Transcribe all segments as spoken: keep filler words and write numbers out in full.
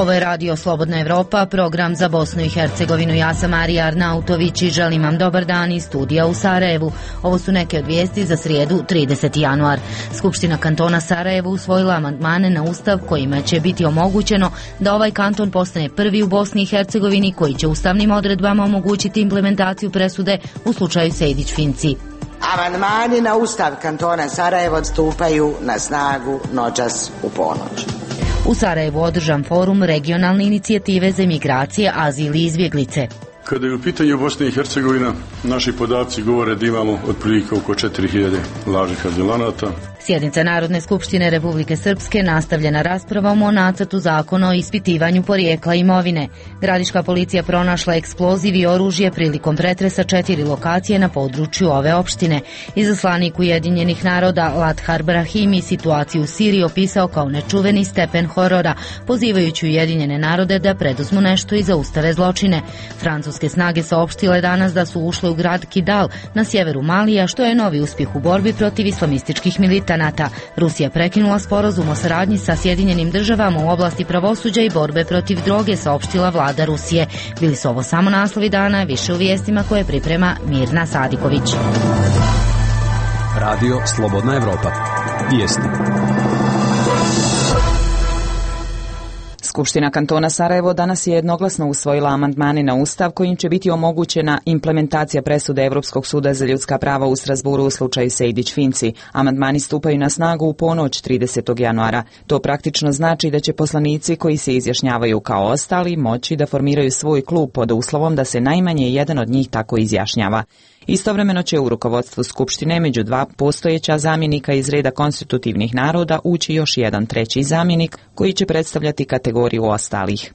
Ovo je Radio Slobodna Evropa, program za Bosnu i Hercegovinu. Ja sam Marija Arnautović i želim vam dobar dan iz studija u Sarajevu. Ovo su neke od vijesti za srijedu trideseti januar. Skupština kantona Sarajevo usvojila amandmane na ustav kojima će biti omogućeno da ovaj kanton postane prvi u Bosni i Hercegovini koji će ustavnim odredbama omogućiti implementaciju presude u slučaju Sejdić-Finci. Amandmani na ustav kantona Sarajevo stupaju na snagu noćas u ponoć. U Sarajevu održan forum regionalne inicijative za migracije, azil i izbjeglice. Kada je u pitanju Bosna i Hercegovina, naši podaci govore da imamo otprilike oko četiri hiljade lažnih azilanata. Sjednica Narodne skupštine Republike Srpske nastavljena raspravom o nacrtu zakona o ispitivanju porijekla imovine. Gradiška policija pronašla eksploziv i oružje prilikom pretresa četiri lokacije na području ove opštine. Izaslanik Ujedinjenih naroda Lathar Brahimi situaciju u Siriji opisao kao nečuveni stepen horora, pozivajući Ujedinjene narode da preduzmu nešto i zaustave zločine. Francuske snage saopštile danas da su ušle u grad Kidal na sjeveru Malija, što je novi uspjeh u borbi protiv islamističkih militana. Rusija prekinula sporazum o saradnji sa Sjedinjenim državama u oblasti pravosuđa i borbe protiv droge, saopštila vlada Rusije. Bili su ovo samo naslovi dana, više u vijestima koje priprema Mirna Sadiković. Radio Slobodna Evropa. Vijesti. Skupština kantona Sarajevo danas je jednoglasno usvojila amandmane na ustav kojim će biti omogućena implementacija presude Europskog suda za ljudska prava u Strasburu u slučaju Sejdić-Finci. Amandmani stupaju na snagu u ponoć tridesetog januara. To praktično znači da će poslanici koji se izjašnjavaju kao ostali moći da formiraju svoj klub pod uslovom da se najmanje jedan od njih tako izjašnjava. Istovremeno će u rukovodstvu Skupštine među dva postojeća zamjenika iz reda konstitutivnih naroda ući još jedan treći zamjenik koji će predstavljati kategoriju ostalih.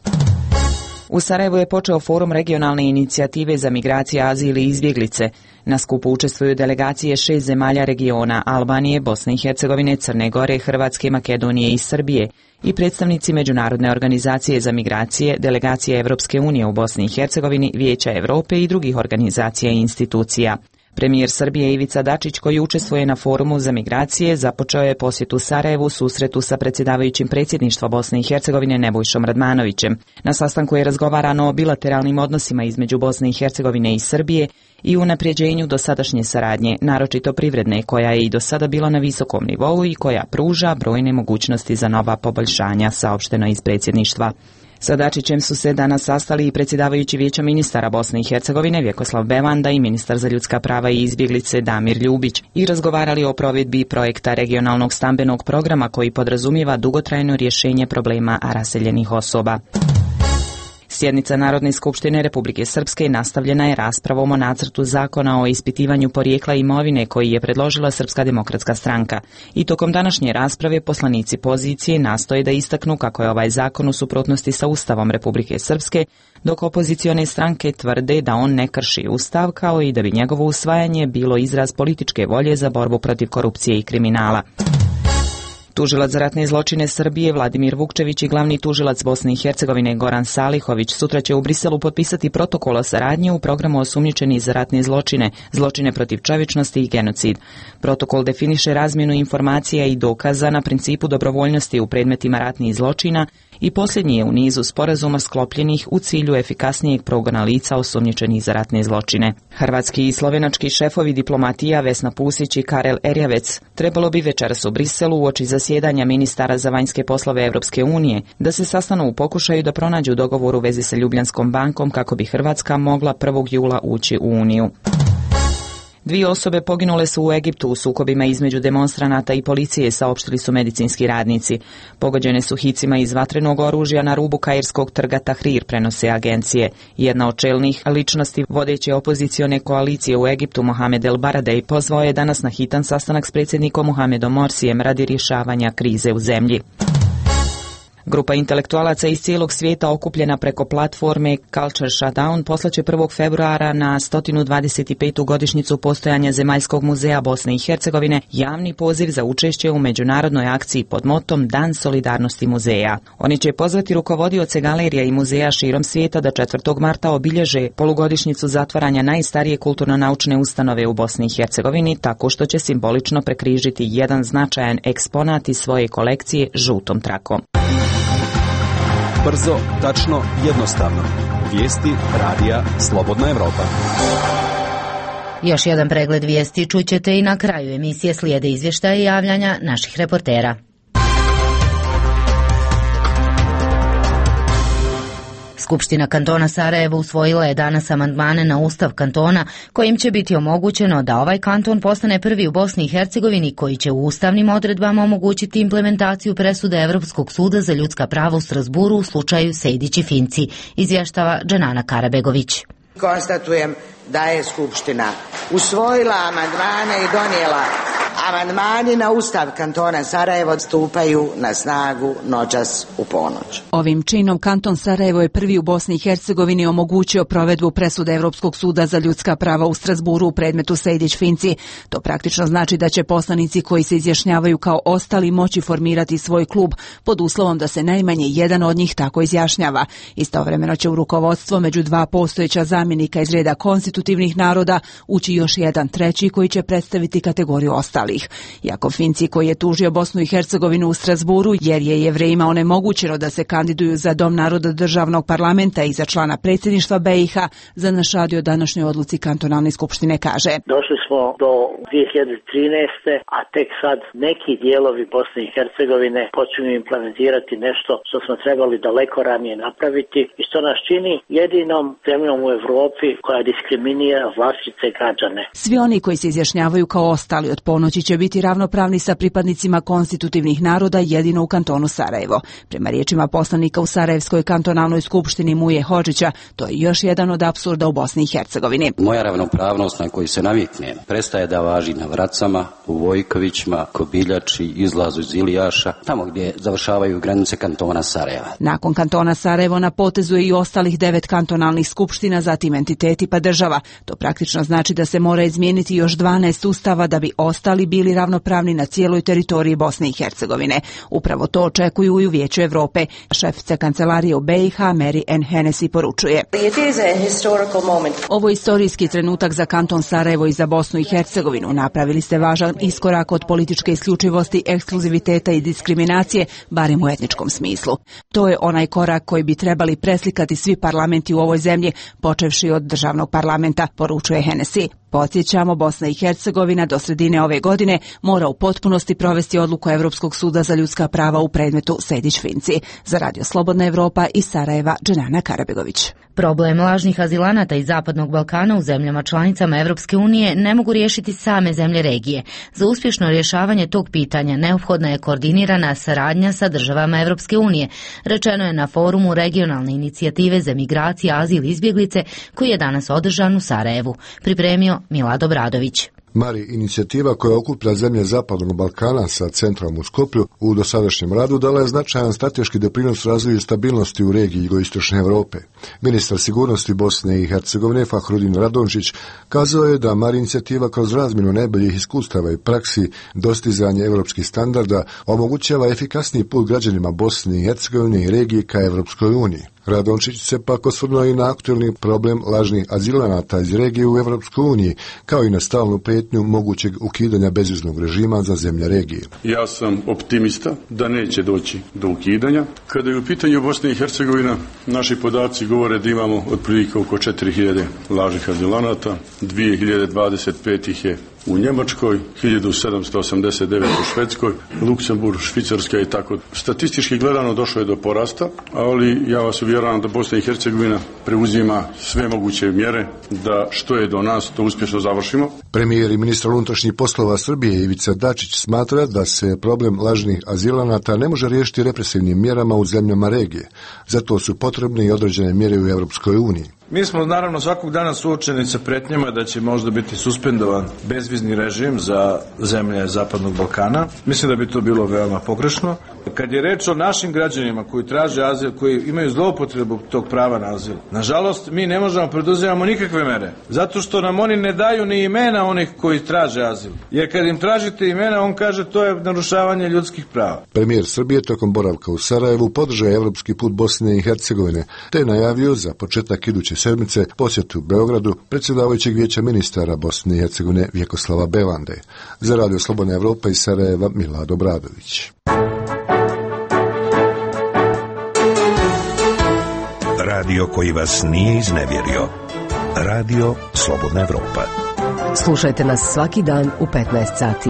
U Sarajevu je počeo forum regionalne inicijative za migracije, azil i izbjeglice. Na skupu učestvuju delegacije šest zemalja regiona: Albanije, Bosne i Hercegovine, Crne Gore, Hrvatske, Makedonije i Srbije i predstavnici Međunarodne organizacije za migracije, delegacije Evropske unije u Bosni i Hercegovini, Vijeća Europe i drugih organizacija i institucija. Premijer Srbije Ivica Dačić, koji učestvuje na forumu za migracije, započeo je posjetu Sarajevu susretu sa predsjedavajućim predsjedništva Bosne i Hercegovine Nebojšom Radmanovićem. Na sastanku je razgovarano o bilateralnim odnosima između Bosne i Hercegovine i Srbije i unapređenju dosadašnje saradnje, naročito privredne, koja je i do sada bila na visokom nivou i koja pruža brojne mogućnosti za nova poboljšanja, saopšteno iz predsjedništva. Sa Dačićem su se danas sastali i predsjedavajući Vijeća ministara Bosne i Hercegovine Vjekoslav Bevanda i ministar za ljudska prava i izbjeglice Damir Ljubić i razgovarali o provedbi projekta regionalnog stambenog programa koji podrazumijeva dugotrajno rješenje problema raseljenih osoba. Sjednica Narodne skupštine Republike Srpske nastavljena je raspravom o nacrtu zakona o ispitivanju porijekla imovine koji je predložila Srpska demokratska stranka. I tokom današnje rasprave poslanici pozicije nastoje da istaknu kako je ovaj zakon u suprotnosti sa Ustavom Republike Srpske, dok opozicione stranke tvrde da on ne krši Ustav, kao i da bi njegovo usvajanje bilo izraz političke volje za borbu protiv korupcije i kriminala. Tužilac za ratne zločine Srbije Vladimir Vukčević i glavni tužilac Bosne i Hercegovine Goran Salihović sutra će u Briselu potpisati protokol o saradnji u programu osumnjičeni za ratne zločine, zločine protiv čovječnosti i genocid. Protokol definiše razmjenu informacija i dokaza na principu dobrovoljnosti u predmetima ratnih zločina i posljednji je u nizu sporazuma sklopljenih u cilju efikasnijeg progona lica osumnjičenih za ratne zločine. Hrvatski i slovenački šefovi diplomatija Vesna Pusić i Karel Erjavec trebalo bi večeras u Briselu uoči zasjedanja ministara za vanjske poslove Evropske unije da se sastanu u pokušaju da pronađu dogovor u vezi sa Ljubljanskom bankom kako bi Hrvatska mogla prvog jula ući u Uniju. Dvije osobe poginule su u Egiptu u sukobima između demonstranata i policije, saopštili su medicinski radnici. Pogođene su hicima iz vatrenog oružja na rubu kairskog trga Tahrir, prenose agencije. Jedna od čelnih ličnosti vodeće opozicione koalicije u Egiptu, Mohamed El Baradej, pozvao je danas na hitan sastanak s predsjednikom Mohamedom Morsijem radi rješavanja krize u zemlji. Grupa intelektualaca iz cijelog svijeta okupljena preko platforme Culture Shutdown poslaće prvog februara na sto dvadeset petu godišnjicu postojanja Zemaljskog muzeja Bosne i Hercegovine javni poziv za učešće u međunarodnoj akciji pod motom Dan solidarnosti muzeja. Oni će pozvati rukovodioce galerija i muzeja širom svijeta da četvrtog marta obilježe polugodišnjicu zatvaranja najstarije kulturno-naučne ustanove u Bosni i Hercegovini tako što će simbolično prekrižiti jedan značajan eksponat iz svoje kolekcije žutom trakom. Brzo, tačno, jednostavno. Vijesti radija Slobodna Evropa. Još jedan pregled vijesti čućete i na kraju emisije, slijede izvještaje i javljanja naših reportera. Skupština kantona Sarajevo usvojila je danas amandmane na ustav kantona kojim će biti omogućeno da ovaj kanton postane prvi u Bosni i Hercegovini koji će u ustavnim odredbama omogućiti implementaciju presude Evropskog suda za ljudska prava u Strasburu u slučaju Sejdić i Finci, izvještava Dženana Karabegović. Konstatujem da je Skupština usvojila amandmane i donijela. Amandmani na ustav kantona Sarajevo stupaju na snagu noćas u ponoć. Ovim činom kanton Sarajevo je prvi u Bosni i Hercegovini omogućio provedbu presude Evropskog suda za ljudska prava u Strasburu u predmetu Sejdić-Finci. To praktično znači da će poslanici koji se izjašnjavaju kao ostali moći formirati svoj klub pod uslovom da se najmanje jedan od njih tako izjašnjava. Istovremeno će u rukovodstvo među dva postojeća zamjenika iz reda konstitutivnih naroda ući još jedan treći koji će predstaviti kategoriju ostalih. Jakov Finci, koji je tužio Bosnu i Hercegovinu u Strasburu jer je Jevrejima onemogućeno da se kandiduju za Dom naroda državnog parlamenta i za člana predsjedništva B i H, za naš radio današnjoj odluci kantonalne skupštine kaže: Došli smo do dvije hiljade trinaeste. a tek sad neki dijelovi Bosne i Hercegovine počinju implementirati nešto što smo trebali daleko ranije napraviti i što nas čini jedinom zemljom u Evropi koja diskriminira vlastite građane. Svi oni koji se izjašnjavaju kao ostali od ponoći će biti ravnopravni sa pripadnicima konstitutivnih naroda jedino u kantonu Sarajevo. Prema riječima poslanika u Sarajevskoj kantonalnoj skupštini Muje Hodžića, to je još jedan od apsurda u Bosni i Hercegovini. Moja ravnopravnost na koju se navikne prestaje da važi na Vracama, u Vojkovićima, Kobiljači, izlazu iz Ilijaša, tamo gdje završavaju granice kantona Sarajeva. Nakon kantona Sarajevo na potezu je i ostalih devet kantonalnih skupština, zatim entiteti pa država. To praktično znači da se mora izmijeniti još dvanaest ustava da bi ostali bili ravnopravni na cijeloj teritoriji Bosne i Hercegovine. Upravo to očekuju i u Vijeću Evrope. Šefica kancelarije u B i H Mary Ann Hennessy poručuje: Ovo je istorijski trenutak za kanton Sarajevo i za Bosnu i Hercegovinu. Napravili ste važan iskorak od političke isključivosti, ekskluziviteta i diskriminacije, barem u etničkom smislu. To je onaj korak koji bi trebali preslikati svi parlamenti u ovoj zemlji, počevši od državnog parlamenta, poručuje Hennessy. Podsjećamo, Bosna i Hercegovina do sredine ove godine mora u potpunosti provesti odluku Evropskog suda za ljudska prava u predmetu Sejdić-Finci. Za Radio Slobodna Evropa iz Sarajeva, Dženana Karabegović. Problem lažnih azilanata iz Zapadnog Balkana u zemljama članicama Evropske unije ne mogu riješiti same zemlje regije. Za uspješno rješavanje tog pitanja neophodna je koordinirana saradnja sa državama Evropske unije, rečeno je na forumu regionalne inicijative za migracije, azil i izbjeglice koji je danas održan u Sarajevu. Pripremio Milad Obradović. Mari, inicijativa koja okuplja zemlje Zapadnog Balkana sa centrom u Skoplju u dosadašnjem radu dala je značajan strateški doprinos razvoju stabilnosti u regiji jugoistočne Europe. Ministar sigurnosti Bosne i Hercegovine Fahrudin Radončić kazao je da Mari inicijativa kroz razmjenu najboljih iskustava i praksi, dostizanje europskih standarda omogućava efikasniji put građanima Bosne i Hercegovine i regije ka Evropskoj uniji. Radončić se pak osvrnuo i na aktualni problem lažnih azilanata iz regije u Evropskoj uniji, kao i na stalnu prijetnju mogućeg ukidanja bezviznog režima za zemlje regije. Ja sam optimista da neće doći do ukidanja. Kada je u pitanju Bosna i Hercegovina, naši podaci govore da imamo otprilike oko četiri hiljade lažnih azilanata, dvije hiljade dvadeset pet ih je u Njemačkoj, hiljadu sedamsto osamdeset devet u Švedskoj, Luksemburg, Švicarska i tako. Statistički gledano došlo je do porasta, ali ja vas uvjeravam da Bosna i Hercegovina preuzima sve moguće mjere da što je do nas to uspješno završimo. Premijer i ministar unutrašnjih poslova Srbije Ivica Dačić smatra da se problem lažnih azilanata ne može riješiti represivnim mjerama u zemljama regije. Zato su potrebne i određene mjere u Evropskoj uniji. Mi smo naravno svakog dana suočeni sa pretnjama da će možda biti suspendovan bezvizni režim za zemlje Zapadnog Balkana. Mislim da bi to bilo veoma pogrešno. Kad je reč o našim građanima koji traže azil, koji imaju zloupotrebu tog prava na azil, nažalost mi ne možemo preduzimamo nikakve mere, zato što nam oni ne daju ni imena onih koji traže azil. Jer kad im tražite imena, on kaže to je narušavanje ljudskih prava. Premijer Srbije tokom boravka u Sarajevu podržao je evropski put Bosne i Hercegovine, te je najavio za početak iduće sedmice posjetu u Beogradu predsjedavajućeg vijeća ministara Bosne i Hercegovine Vjekoslava Belande. Za Radio Slobodna Evropa iz Sarajeva, Milad Obradović. Radio koji vas nije iznevjerio. Radio Slobodna Evropa. Slušajte nas svaki dan u petnaest sati.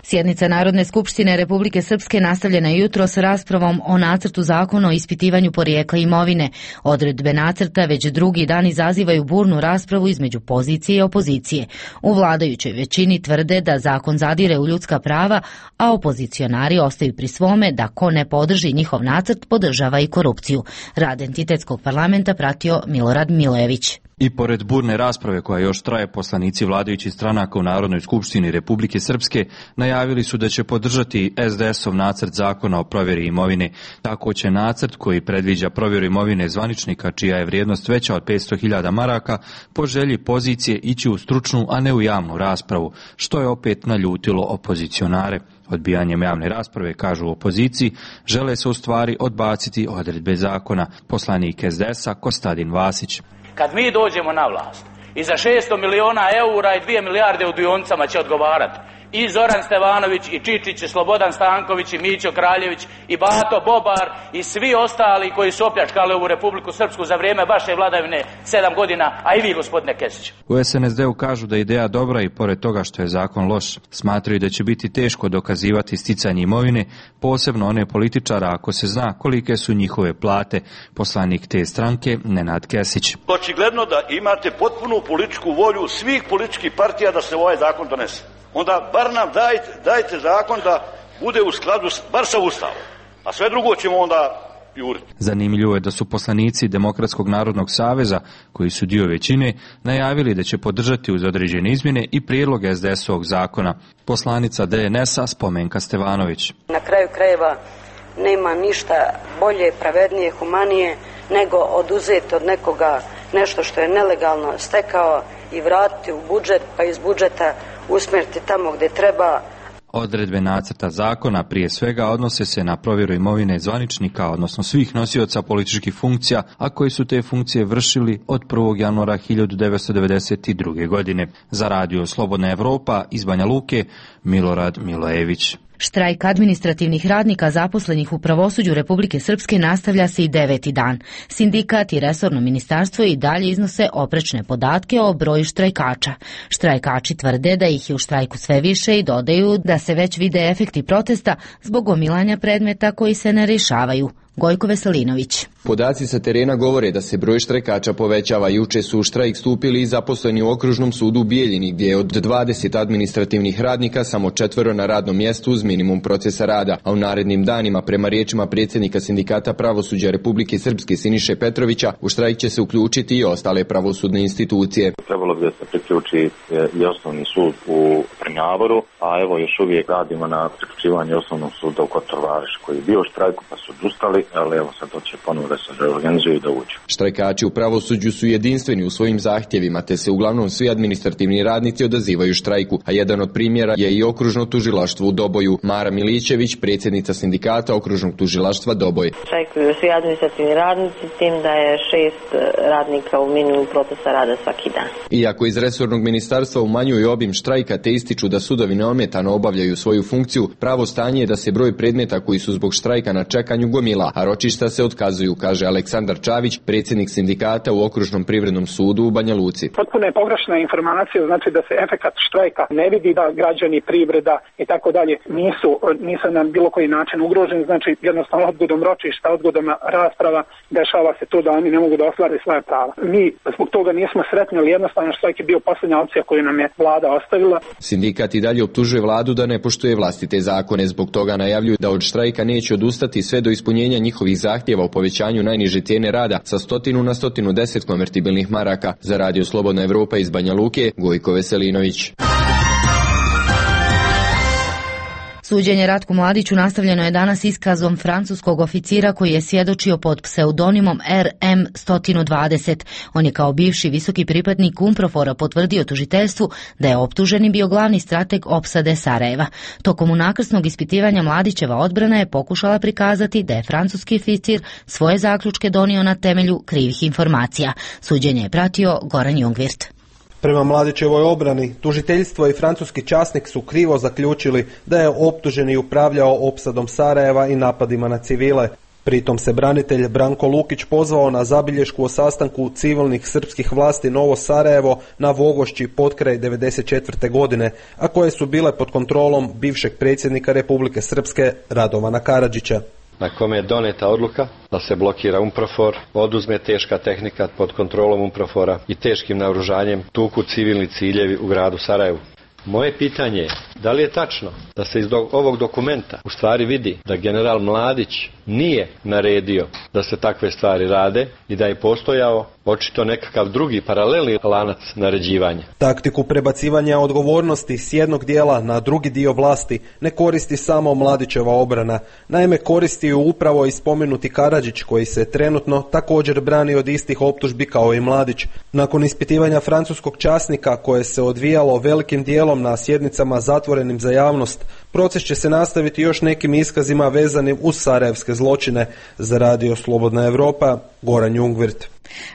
Sjednica Narodne skupštine Republike Srpske nastavljena je jutros raspravom o nacrtu zakona o ispitivanju porijekla imovine. Odredbe nacrta već drugi dan izazivaju burnu raspravu između pozicije i opozicije. U vladajućoj većini tvrde da zakon zadire u ljudska prava, a opozicionari ostaju pri svome da ko ne podrži njihov nacrt podržava i korupciju. Rad entitetskog parlamenta pratio Milorad Milojević. I pored burne rasprave koja još traje, poslanici vladajućih stranaka u Narodnoj skupštini Republike Srpske najavili su da će podržati es de esov nacrt zakona o provjeri imovine. Tako će nacrt koji predviđa provjeru imovine zvaničnika čija je vrijednost veća od petsto hiljada maraka po želji pozicije ići u stručnu, a ne u javnu raspravu, što je opet naljutilo opozicionare. Odbijanjem javne rasprave, kažu u opoziciji, žele se u stvari odbaciti odredbe zakona. Poslanik es de esa Kostadin Vasić. Kad mi dođemo na vlast i za šesto miliona eura i dvije milijarde u dionicama će odgovarati i Zoran Stevanović, i Čičić, i Slobodan Stanković, i Mićo Kraljević, i Bato Bobar, i svi ostali koji su opljačkali ovu Republiku Srpsku za vrijeme vaše vladavine sedam godina, a i vi, gospodine Kesić. U es en es de u kažu da je ideja dobra i pored toga što je zakon loš. Smatraju da će biti teško dokazivati sticanje imovine, posebno one političara ako se zna kolike su njihove plate. Poslanik te stranke Nenad Kesić. Očigledno da imate potpunu političku volju svih političkih partija da se ovaj zakon donese. Onda bar nam dajte, dajte zakon da bude u skladu bar sa Ustavom, a sve drugo ćemo onda juriti. Zanimljivo je da su poslanici Demokratskog narodnog saveza, koji su dio većine, najavili da će podržati uz određene izmjene i prijedlog es de esovog zakona. Poslanica de en esa Spomenka Stevanović. Na kraju krajeva nema ništa bolje, pravednije, humanije nego oduzeti od nekoga nešto što je nelegalno stekao i vratiti u budžet, pa iz budžeta usmjeriti tamo gdje treba. Odredbe nacrta zakona prije svega odnose se na provjeru imovine zvaničnika, odnosno svih nosioca političkih funkcija, a koji su te funkcije vršili od prvog januara hiljadu devetsto devedeset druge. godine. Za Radio Slobodna Evropa iz Banja Luke, Milorad Milojević. Štrajk administrativnih radnika zaposlenih u pravosuđu Republike Srpske nastavlja se i deveti dan. Sindikat i resorno ministarstvo i dalje iznose oprečne podatke o broju štrajkača. Štrajkači tvrde da ih je u štrajku sve više i dodaju da se već vide efekti protesta zbog gomilanja predmeta koji se ne rješavaju. Gojko Veselinović. Podaci sa terena govore da se broj štrajkača povećava. Juče su u štrajk stupili i zaposleni u Okružnom sudu u Bijeljini, gdje je od dvadeset administrativnih radnika samo četvero na radnom mjestu uz minimum procesa rada, a u narednim danima, prema riječima predsjednika Sindikata pravosuđa Republike Srpske Siniše Petrovića, u štrajk će se uključiti i ostale pravosudne institucije. Trebalo bi da se priključi i osnovni sud u Trnjavoru, a evo još uvijek radimo na priključivanju osnovnog suda u Kotor-Varoši, koji je bio u štrajku pa su odustali, ali evo sad to će ponovno da se reorganizuju i da uđu. Štrajkači u pravosuđu su jedinstveni u svojim zahtjevima, te se uglavnom svi administrativni radnici odazivaju štrajku, a jedan od primjera je i Okružno tužilaštvo u Doboju. Mara Milićević, predsjednica Sindikata Okružnog tužilaštva Doboj. Štrajkuju svi administrativni radnici, s tim da je šest radnika u minimumu procesa rada svaki dan. Iako iz resornog ministarstva umanjuju obim štrajka te ističu da sudovi neometano obavljaju svoju funkciju, pravo stanje je da se broj predmeta koji su zbog štrajka na čekanju gomila, a ročišta se otkazuju, kaže Aleksandar Čavić, predsjednik Sindikata u Okružnom privrednom sudu u Banja Luci. Potpuno je pogrešna informacija, znači da se efekat štrajka ne vidi, da građani, privreda i tako dalje nisu, nisu na bilo koji način ugroženi, znači jednostavno odgodom ročišta, odgodom rasprava dešava se to da oni ne mogu da ostvare svoje prava. Mi zbog toga nismo sretni, ali jednostavno štrajk je bio posljednja opcija koju nam je vlada ostavila. Sindikat i dalje optužuje vladu da ne poštuje vlastite zakone, zbog toga najavljuju da od štrajka neće odustati sve do ispunjenja njihovih zahtjeva o povećanju najniže cijene rada sa stotinu na stotinu deset konvertibilnih maraka. Za Radio Slobodna Evropa iz Banja Luke, Gojko Veselinović. Suđenje Ratku Mladiću nastavljeno je danas iskazom francuskog oficira koji je svjedočio pod pseudonimom R M sto dvadeset. On je kao bivši visoki pripadnik UNPROFOR-a potvrdio tužiteljstvu da je optuženi bio glavni strateg opsade Sarajeva. Tokom unakrsnog ispitivanja Mladićeva odbrana je pokušala prikazati da je francuski oficir svoje zaključke donio na temelju krivih informacija. Suđenje je pratio Goran Jungvirt. Prema Mladićevoj obrani, tužiteljstvo i francuski časnik su krivo zaključili da je optuženi upravljao opsadom Sarajeva i napadima na civile. Pritom se branitelj Branko Lukić pozvao na zabilješku o sastanku civilnih srpskih vlasti Novo Sarajevo na Vogošći potkraj devedeset četvrte. godine, a koje su bile pod kontrolom bivšeg predsjednika Republike Srpske Radovana Karadžića. Na kome je doneta odluka da se blokira UNPROFOR, oduzme teška tehnika pod kontrolom UNPROFOR-a i teškim naoružanjem tuku civilni ciljevi u gradu Sarajevu. Moje pitanje je, da li je tačno da se iz do, ovog dokumenta u stvari vidi da general Mladić nije naredio da se takve stvari rade i da je postojao očito nekakav drugi paralelni lanac naređivanja. Taktiku prebacivanja odgovornosti s jednog dijela na drugi dio vlasti ne koristi samo Mladićeva obrana. Naime, koristi ju upravo i spomenuti Karadžić, koji se trenutno također brani od istih optužbi kao i Mladić. Nakon ispitivanja francuskog časnika, koje se odvijalo velikim dijelom na sjednicama zatvorenim za javnost, proces će se nastaviti još nekim iskazima vezanim uz sarajevske zločine. Za Radio Slobodna Evropa, Goran Jungvirt.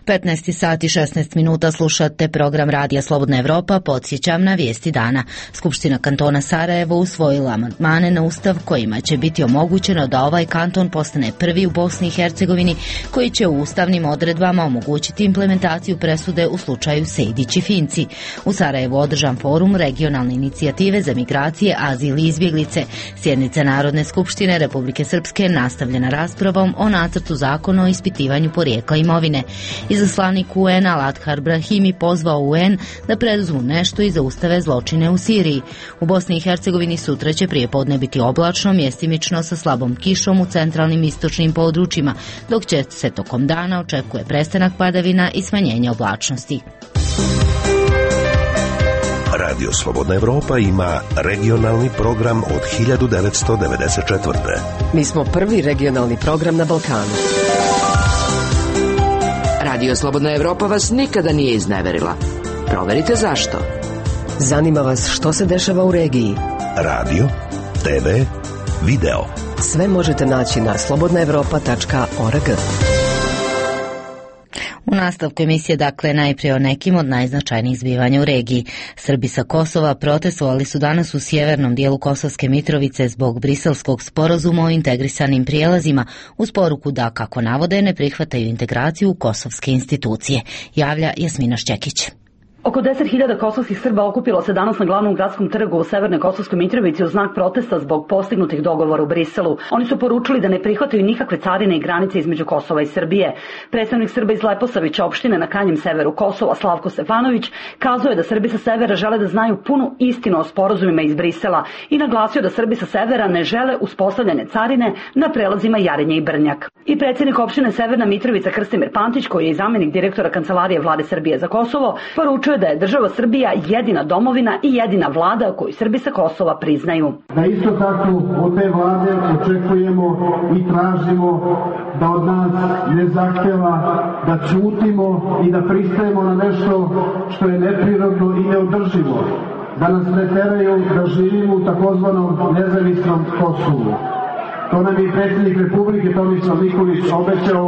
petnaest sati i šesnaest minuta slušate program Radija Slobodna Evropa. Podsjećam na vijesti dana. Skupština kantona Sarajevo usvojila amandmane na ustav kojima će biti omogućeno da ovaj kanton postane prvi u Bosni i Hercegovini, koji će u ustavnim odredbama omogućiti implementaciju presude u slučaju Sejdić i Finci. U Sarajevu održan forum regionalne inicijative za migracije, azil i izbjeglice. Sjednica Narodne skupštine Republike Srpske nastavljena raspravom o nacrtu zakona o ispitivanju porijekla imovine. Izaslanik U N-a Lathar Brahimi pozvao U N da preduzmu nešto i zaustave zločine u Siriji. U Bosni i Hercegovini sutra će prijepodne biti oblačno, mjestimično sa slabom kišom u centralnim istočnim područjima, dok će se tokom dana očekuje prestanak padavina i smanjenje oblačnosti. Radio Slobodna Evropa ima regionalni program od hiljadu devetsto devedeset četvrte. Mi smo prvi regionalni program na Balkanu. Radio Slobodna Evropa vas nikada nije izneverila. Proverite zašto. Zanima vas što se dešava u regiji. Radio, te ve, video. Sve možete naći na slobodna evropa tačka org. U nastavku emisije, dakle, najprije o nekim od najznačajnijih zbivanja u regiji. Srbi sa Kosova protestovali su danas u sjevernom dijelu Kosovske Mitrovice zbog briselskog sporazuma o integrisanim prijelazima, uz poruku da, kako navode, ne prihvataju integraciju u kosovske institucije. Javlja Jasmina Šćekić. Oko deset hiljada kosovskih Srba okupilo se danas na glavnom gradskom trgu u Severnoj Kosovskoj Mitrovici u znak protesta zbog postignutih dogovora u Briselu. Oni su poručili da ne prihvataju nikakve carine i granice između Kosova i Srbije. Predstavnik Srba iz Leposavića opštine na krajnjem severu Kosova, Slavko Stefanović, kazao je da Srbi sa severa žele da znaju punu istinu o sporazumima iz Brisela i naglasio da Srbi sa severa ne žele uspostavljanje carine na prelazima Jarinje i Brnjak. I predsjednik opštine Severna Mitrovica Krstimir Pantić, koji je zamjenik direktora Kancelarije Vlade Srbije za Kosovo, poručio da je država Srbija jedina domovina i jedina vlada koju Srbi sa Kosova priznaju. Da isto tako od te vlade očekujemo i tražimo da od nas ne zahtjeva da ćutimo i da pristajemo na nešto što je neprirodno i neodrživo. Da nas ne teraju da živimo u takozvanom nezavisnom Kosovu. To nam je predsjednik Republike Tomislav Nikolić obećao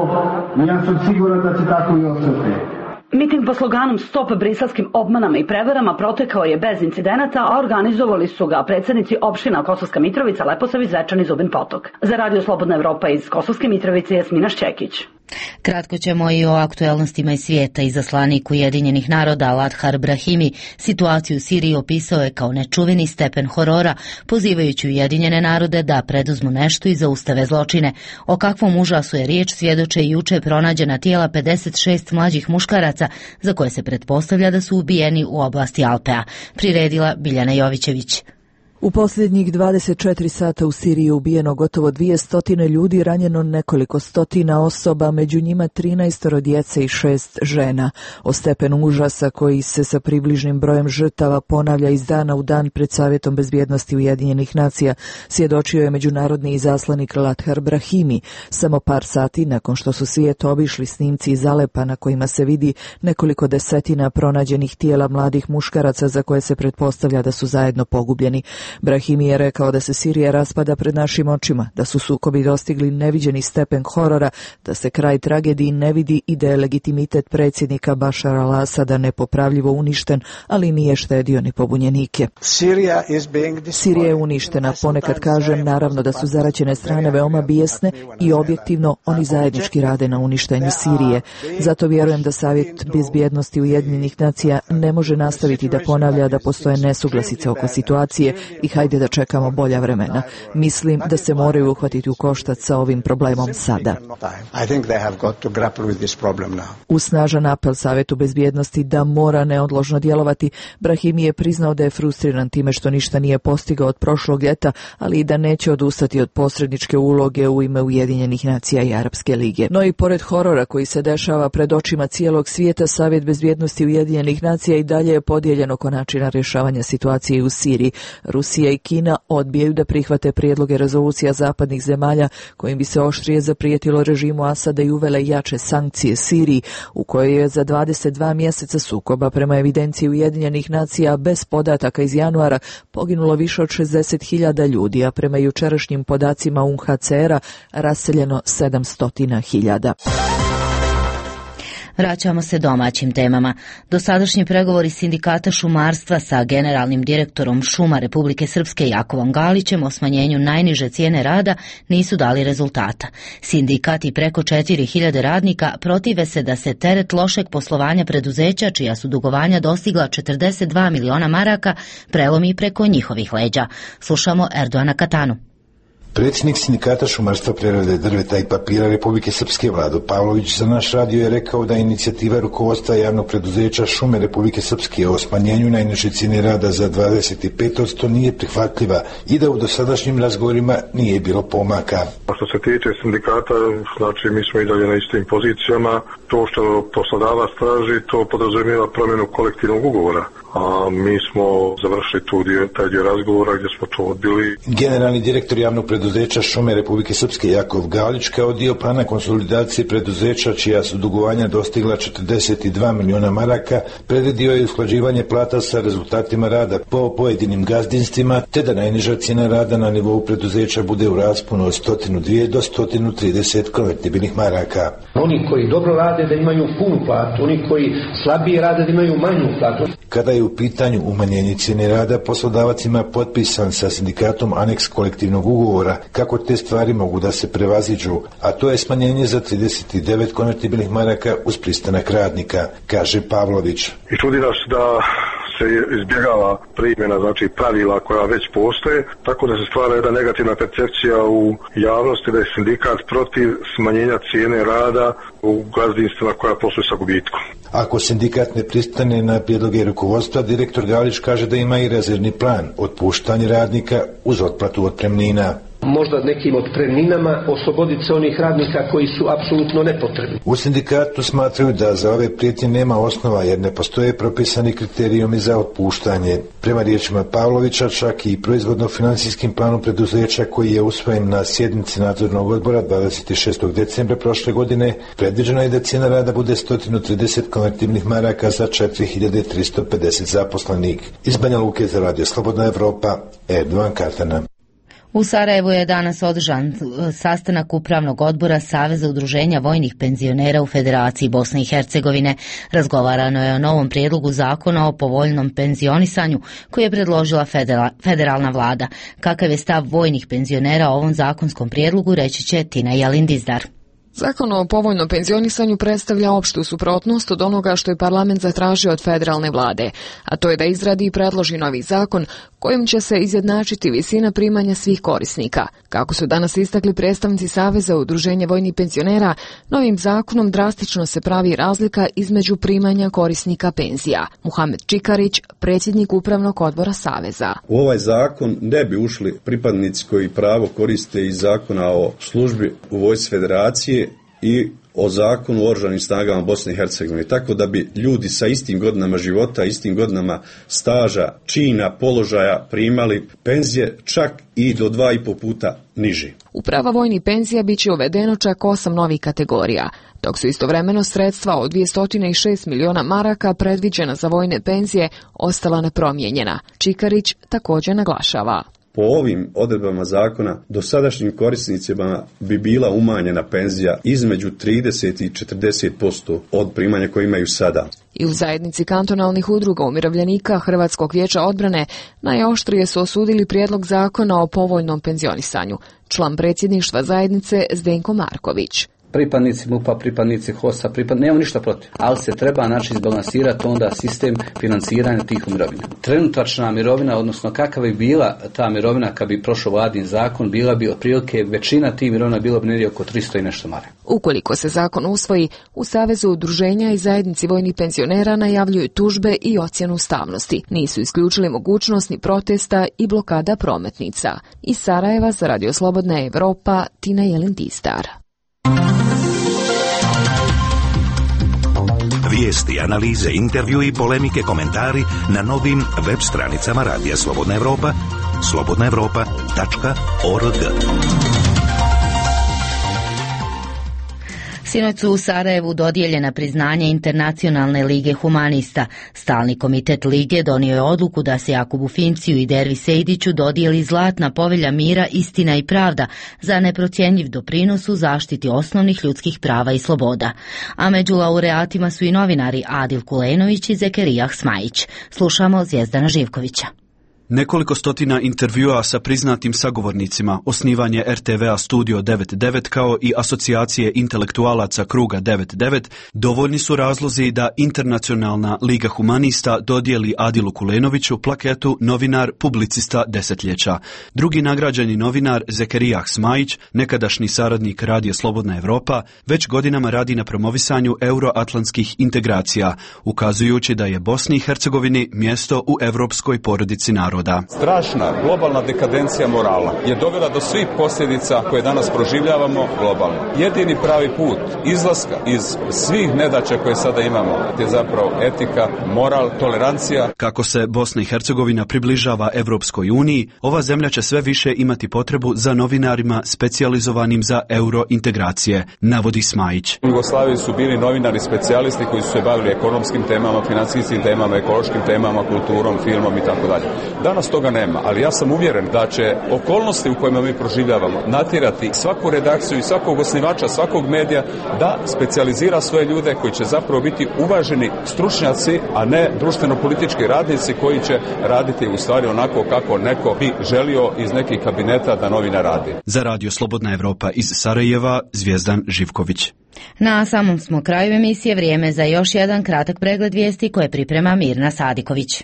i ja sam siguran da će tako i ostati. Miting pod sloganom Stop briselskim obmanama i prevarama protekao je bez incidenata, a organizovali su ga predsjednici opština Kosovska Mitrovica, Leposavić, Zečan i Zubin Potok. Za Radio Slobodna Evropa iz Kosovske Mitrovice, Jasmina Šćekić. Kratko ćemo i o aktuelnostima iz svijeta. Izaslanik Ujedinjenih naroda Lathar Brahimi situaciju u Siriji opisao je kao nečuveni stepen horora, pozivajući Ujedinjene narode da preduzmu nešto i zaustave zločine. O kakvom užasu je riječ svjedoče i juče pronađena tijela pedeset šest mlađih muškaraca za koje se pretpostavlja da su ubijeni u oblasti Alpea. Priredila Biljana Jovićević. U posljednjih dvadeset četiri sata u Siriji je ubijeno gotovo dvije stotine ljudi, ranjeno nekoliko stotina osoba, među njima trinaestoro djece i šest žena. O stepenu užasa koji se sa približnim brojem žrtava ponavlja iz dana u dan pred Savjetom bezbjednosti Ujedinjenih nacija svjedočio je međunarodni izaslanik Lathar Brahimi, samo par sati nakon što su svijet obišli snimci iz Alepa na kojima se vidi nekoliko desetina pronađenih tijela mladih muškaraca za koje se pretpostavlja da su zajedno pogubljeni. Brahimi je rekao da se Sirija raspada pred našim očima, da su sukobi dostigli neviđeni stepen horora, da se kraj tragediji ne vidi i da je legitimitet predsjednika Bašara al-Asada nepopravljivo uništen, ali nije štedio ni pobunjenike. Sirija je uništena, ponekad kažem, naravno da su zaraćene strane veoma bijesne i objektivno oni zajednički rade na uništenju Sirije. Zato vjerujem da Savjet bezbjednosti Ujedinjenih nacija ne može nastaviti da ponavlja da postoje nesuglasice oko situacije i hajde da čekamo bolja vremena. Mislim da se moraju uhvatiti u koštac sa ovim problemom sada. U snažan apel Savjetu bezbjednosti da mora neodložno djelovati, Brahimi je priznao da je frustriran time što ništa nije postigao od prošlog ljeta, ali i da neće odustati od posredničke uloge u ime Ujedinjenih nacija i Arapske lige. No i pored horora koji se dešava pred očima cijelog svijeta, Savjet bezbjednosti Ujedinjenih nacija i dalje je podijeljen oko načina rješavanja situacije u Siriji. Rusija i Kina odbijaju da prihvate prijedloge rezolucija zapadnih zemalja kojim bi se oštrije zaprijetilo režimu Asada i uvele jače sankcije Siriji, u kojoj je za dvadeset dva mjeseca sukoba prema evidenciji Ujedinjenih nacija bez podataka iz januara poginulo više od šezdeset hiljada ljudi, a prema jučerašnjim podacima U N H C R-a raseljeno sedamsto hiljada. Vraćamo se domaćim temama. Dosadašnji pregovori sindikata šumarstva sa generalnim direktorom šuma Republike Srpske Jakovom Galićem o smanjenju najniže cijene rada nisu dali rezultata. Sindikat i preko četiri hiljade radnika protive se da se teret lošeg poslovanja preduzeća, čija su dugovanja dostigla četrdeset dva miliona maraka, prelomi preko njihovih leđa. Slušamo Erdoana Katanu. Predsjednik sindikata šumarstva, prerade drveta i papira Republike Srpske Vlado Pavlović za naš radio je rekao da inicijativa rukovodstva javnog preduzeća Šume Republike Srpske o smanjenju najniže cijene rada za dvadeset pet posto nije prihvatljiva i da u dosadašnjim razgovorima nije bilo pomaka. Što se tiče sindikata, znači mi smo i dalje na istim pozicijama. To što poslodavac traži, to podrazumijeva promjenu kolektivnog ugovora. A mi smo završili tu dio, taj dio razgovora gdje smo to odbili. Generalni direktor javnog preduzeća Šume Republike Srpske Jakov Galić kao dio plana konsolidacije preduzeća čija su dugovanja dostigla četrdeset dva miliona maraka predvidio je usklađivanje plata sa rezultatima rada po pojedinim gazdinstvima te da najniža cijena rada na nivou preduzeća bude u rasponu od sto dva do sto trideset konvertibilnih maraka. Oni koji dobro rade da imaju punu platu, oni koji slabije rade da imaju manju platu. Kada je u pitanju umanjenje cijene rada, poslodavac ima potpisan sa sindikatom aneks kolektivnog ugovora kako te stvari mogu da se prevaziđu, a to je smanjenje za trideset devet konvertibilnih maraka uz pristanak radnika, kaže Pavlović. I čudi nas da se izbjegava primjena, znači pravila koja već postoje, tako da se stvara jedna negativna percepcija u javnosti da je sindikat protiv smanjenja cijene rada u gazdinstvima koja posluju sa gubitkom. Ako sindikat ne pristane na prijedloge rukovodstva, direktor Galić kaže da ima i rezervni plan otpuštanje radnika uz otplatu otpremnina. Možda nekim otpremninama osloboditi se onih radnika koji su apsolutno nepotrebni. U sindikatu smatraju da za ove prijetnje nema osnova jer ne postoje propisani kriterijumi za otpuštanje. Prema riječima Pavlovića, čak i proizvodno-financijskim planom preduzeća koji je usvojen na sjednici nadzornog odbora dvadeset šestog decembra prošle godine, predviđeno je da cijena rada bude sto trideset konvertibilnih maraka za četiri hiljade tristo pedeset zaposlenih. Iz Banja Luke za Radio Slobodna Evropa, Erdoan Katana. U Sarajevu je danas održan sastanak Upravnog odbora Saveza udruženja vojnih penzionera u Federaciji Bosne i Hercegovine. Razgovarano je o novom prijedlogu zakona o povoljnom penzionisanju koji je predložila federalna vlada. Kakav je stav vojnih penzionera o ovom zakonskom prijedlogu, reći će Tina Jalindizdar. Zakon o povoljnom penzionisanju predstavlja opštu suprotnost od onoga što je parlament zatražio od federalne vlade, a to je da izradi i predloži novi zakon kojim će se izjednačiti visina primanja svih korisnika. Kako su danas istakli predstavnici Saveza udruženja vojnih penzionera, novim zakonom drastično se pravi razlika između primanja korisnika penzija. Muhamed Čikarić, predsjednik Upravnog odbora Saveza. U ovaj zakon ne bi ušli pripadnici koji pravo koriste iz zakona o službi u vojsci federacije i o zakonu o oružanim snagama Bosne i Hercegovine, tako da bi ljudi sa istim godinama života, istim godinama staža, čina, položaja primali penzije čak i do dva i po puta niži. U prava vojnih penzija bit će uvedeno čak osam novih kategorija, dok su istovremeno sredstva od dvjesto šest miliona maraka predviđena za vojne penzije ostala nepromijenjena. Čikarić također naglašava. Po ovim odredbama zakona dosadašnjim korisnicima bi bila umanjena penzija između trideset i četrdeset posto od primanja koje imaju sada. I u zajednici kantonalnih udruga umirovljenika Hrvatskog vijeća odbrane najoštrije su osudili prijedlog zakona o povoljnom penzionisanju. Član predsjedništva zajednice Zdenko Marković. Pripadnici MUP-a, pripadnici H O S-a, pripad... nemamo ništa protiv, ali se treba naći izbalansirati onda sistem financiranja tih mirovina. Trenutačna mirovina, odnosno kakva bi bila ta mirovina kad bi prošao vladin zakon, bila bi otprilike većina tih mirovina bilo bi negdje oko tristo i nešto maraka. Ukoliko se zakon usvoji, u Savezu udruženja i zajednici vojnih penzionera najavljuju tužbe i ocjenu ustavnosti. Nisu isključili mogućnost ni protesta i blokada prometnica. Iz Sarajeva za Radio Slobodna Evropa, Tina Jelin-Tistar. Vijesti, analize, intervju i polemike, komentari na novim web stranicama Radija Slobodna Evropa, slobodna evropa tačka org. Sinoć su u Sarajevu dodijeljena priznanja Internacionalne lige humanista. Stalni komitet lige donio je odluku da se Jakubu Finciju i Dervi Sejdiću dodijeli zlatna povelja mira, istina i pravda za neprocjenjiv doprinos u zaštiti osnovnih ljudskih prava i sloboda. A među laureatima su i novinari Adil Kulenović i Zekerijah Smajić. Slušamo Zvijezdana Živkovića. Nekoliko stotina intervjua sa priznatim sagovornicima, osnivanje er te ve a Studio devedeset devet kao i asocijacije intelektualaca Kruga devedeset devet dovoljni su razlozi da Internacionalna liga humanista dodijeli Adilu Kulenoviću plaketu novinar publicista desetljeća. Drugi nagrađeni novinar Zekerijah Smajić, nekadašnji saradnik Radija Slobodna Evropa, već godinama radi na promovisanju euroatlantskih integracija, ukazujući da je Bosni i Hercegovini mjesto u evropskoj porodici naroda. Strašna globalna dekadencija morala je dovela do svih posljedica koje danas proživljavamo globalno. Jedini pravi put izlaska iz svih nedaća koje sada imamo je zapravo etika, moral, tolerancija. Kako se Bosna i Hercegovina približava Evropskoj uniji, ova zemlja će sve više imati potrebu za novinarima specijalizovanim za eurointegracije, navodi Smajić. U Jugoslaviji su bili novinari specijalisti koji su se bavili ekonomskim temama, financijskim temama, ekološkim temama, kulturom, filmom i tako dalje. Danas toga nema, ali ja sam uvjeren da će okolnosti u kojima mi proživljavamo natjerati svaku redakciju i svakog osnivača, svakog medija da specijalizira svoje ljude koji će zapravo biti uvaženi stručnjaci, a ne društveno-politički radnici koji će raditi u stvari onako kako neko bi želio iz nekih kabineta da novina radi. Za Radio Slobodna Evropa iz Sarajeva, Zvijezdan Živković. Na samom smo kraju emisije, vrijeme za još jedan kratak pregled vijesti koje priprema Mirna Sadiković.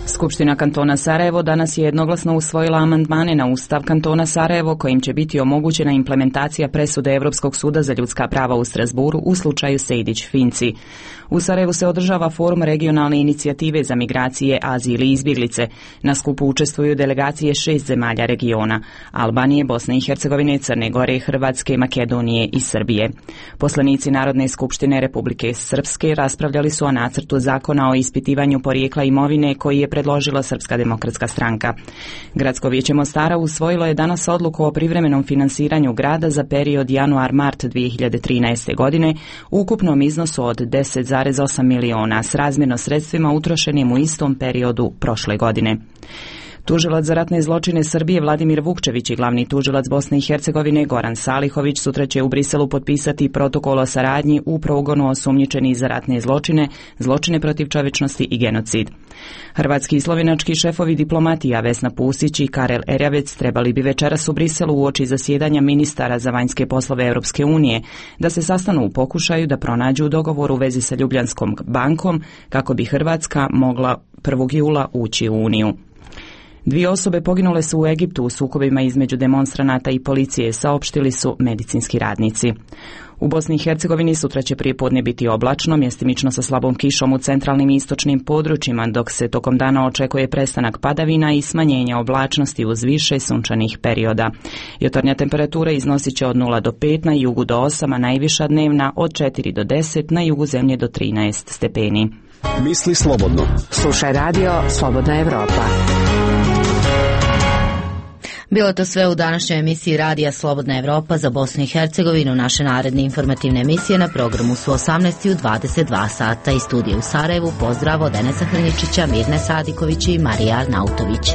Skupština kantona Sarajevo danas je jednoglasno usvojila amandmane na Ustav kantona Sarajevo kojim će biti omogućena implementacija presude Europskog suda za ljudska prava u Strasburu u slučaju Sejdić-Finci. U Sarajevu se održava forum regionalne inicijative za migracije, azil i izbjeglice. Na skupu učestvuju delegacije šest zemalja regiona: Albanije, Bosne i Hercegovine, Crne Gore, Hrvatske, Makedonije i Srbije. Poslanici Narodne skupštine Republike Srpske raspravljali su o nacrtu zakona o ispitivanju porijekla imovine koji je predložila Srpska demokratska stranka. Gradsko vijeće Mostara usvojilo je danas odluku o privremenom finansiranju grada za period januar-mart dvije hiljade trinaeste. godine u ukupnom iznosu od deset zarez osam miliona s razmjerno sredstvima utrošenim u istom periodu prošle godine. Tužilac za ratne zločine Srbije Vladimir Vukčević i glavni tužilac Bosne i Hercegovine Goran Salihović sutra će u Briselu potpisati protokol o saradnji u progonu osumnjičenih za ratne zločine, zločine protiv čovječnosti i genocid. Hrvatski i slovenački šefovi diplomatija Vesna Pusić i Karel Erjavec trebali bi večeras u Briselu uoči zasjedanja ministara za vanjske poslove Europske unije da se sastanu u pokušaju da pronađu dogovor u vezi sa Ljubljanskom bankom kako bi Hrvatska mogla prvog jula ući u Uniju. Dvije osobe poginule su u Egiptu u sukobima između demonstranata i policije, saopštili su medicinski radnici. U Bosni i Hercegovini sutra će prijepodne biti oblačno, mjestimično sa slabom kišom u centralnim i istočnim područjima, dok se tokom dana očekuje prestanak padavina i smanjenje oblačnosti uz više sunčanih perioda. Jutarnja temperatura iznosit će od nula do pet, na jugu do osam, a najviša dnevna od četiri do deset, na jugu zemlje do trinaest stepeni. Misli slobodno. Slušaj radio Slobodna Evropa. Bilo to sve u današnjoj emisiji Radija Slobodna Evropa za Bosnu i Hercegovinu. Naše naredne informativne emisije na programu su osamnaest i dvadeset dva sata. Iz studija u Sarajevu pozdrav od Enesa Hrničića, Mirne Sadiković i Marija Arnautović.